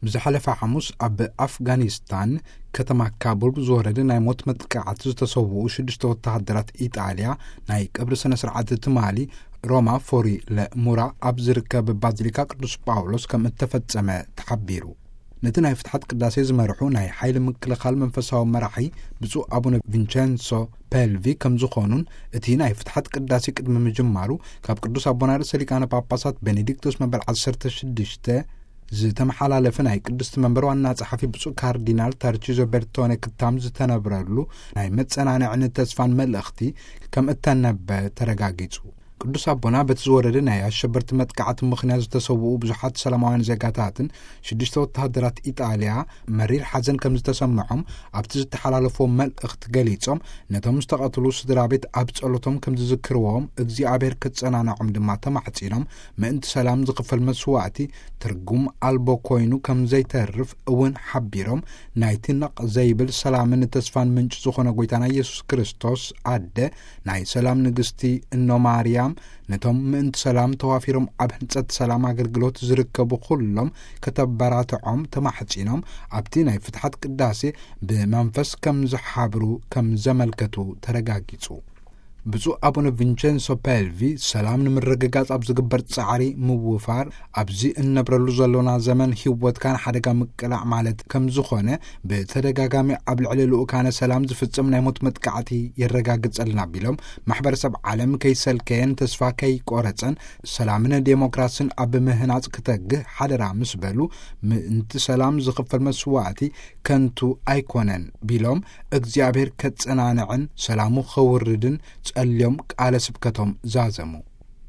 ብዝሓለፈ ሓሙስ ኣብ ኣፍጋኒስታን ከተማ ካቡል ብዝወረደ ናይ ሞት መጥቃዕቲ ዝተሰውኡ ሽዱሽተ ወተሃደራት ኢጣልያ ናይ ቀብሪ ስነ ስርዓት ትማሊ ሮማ ፎሪ ለሙራ ኣብ ዝርከብ ባዚሊካ ቅዱስ ጳውሎስ ከም እተፈጸመ ተሓቢሩ። ነቲ ናይ ፍትሓት ቅዳሴ ዝመርሑ ናይ ሓይሊ ምክልኻል መንፈሳዊ መራሒ ብፁዕ ኣቡነ ቪንቸንሶ ፔልቪ ከም ዝኾኑን፣ እቲ ናይ ፍትሓት ቅዳሴ ቅድሚ ምጅማሩ ካብ ቅዱስ ኣቦና ርእሰ ሊቃነ ጳጳሳት ቤኔዲክቶስ መበል ዓሰርተ ሽዱሽተ ዝተመሓላለፈ ናይ ቅድስቲ መንበር ዋና ጸሓፊ ብፁዕ ካርዲናል ታርቺዞ ቤርቶኔ ክታም ዝተነብረሉ ናይ መጸናንዕን ተስፋን መልእኽቲ ከም እተነበ ተረጋጊጹ። ቅዱስ ኣቦና በቲ ዝወረደ ናይ ኣሸበርቲ መጥቃዕቲ ምኽንያት ዝተሰውኡ ብዙሓት ሰላማውያን ዜጋታትን ሽዱሽተ ወተሃደራት ኢጣልያ መሪር ሓዘን ከም ዝተሰምዖም ኣብቲ ዝተሓላለፎ መልእኽቲ ገሊጾም፣ ነቶም ዝተቐትሉ ስድራ ቤት ኣብ ጸሎቶም ከም ዝዝክርዎም እግዚኣብሔር ክጸናንዖም ድማ ተማሕጺኖም፣ ምእንቲ ሰላም ዝኽፈል መስዋእቲ ትርጉም ኣልቦ ኮይኑ ከም ዘይተርፍ እውን ሓቢሮም፣ ናይቲ ነቕ ዘይብል ሰላምን ተስፋን ምንጪ ዝኾነ ጎይታና ኢየሱስ ክርስቶስ ኣደ፣ ናይ ሰላም ንግስቲ እኖ ማርያም፣ ነቶም ምእንቲ ሰላም ተዋፊሮም ኣብ ህንጸት ሰላም ኣገልግሎት ዝርከቡ ኩሎም ከተበራትዖም ተማሕጺኖም፣ ኣብቲ ናይ ፍትሓት ቅዳሴ ብመንፈስ ከም ዝሓብሩ ከም ዘመልከቱ ተረጋጊጹ። ብፁዕ ኣቡነ ቪንቸንሶ ፔልቪ፣ ሰላም ንምርግጋጽ ኣብ ዝግበር ጻዕሪ ምውፋር፣ ኣብዚ እንነብረሉ ዘሎና ዘመን ህይወትካ ንሓደጋ ምቅላዕ ማለት ከም ዝኾነ ብተደጋጋሚ ኣብ ልዕሊ ልኡካነ ሰላም ዝፍጽም ናይ ሞት መጥቃዕቲ የረጋግጸልና ቢሎም፣ ማሕበረሰብ ዓለም ከይሰልከየን ተስፋ ከይቆረጸን ሰላምን ዴሞክራስን ኣብ ምህናጽ ክተግህ ሓደራ ምስ በሉ፣ ምእንቲ ሰላም ዝኽፈል መስዋእቲ ከንቱ ኣይኮነን ቢሎም፣ እግዚኣብሔር ከጸናንዕን ሰላሙ ከውርድን ጸልዮም ቃለ ስብከቶም ዛዘሙ።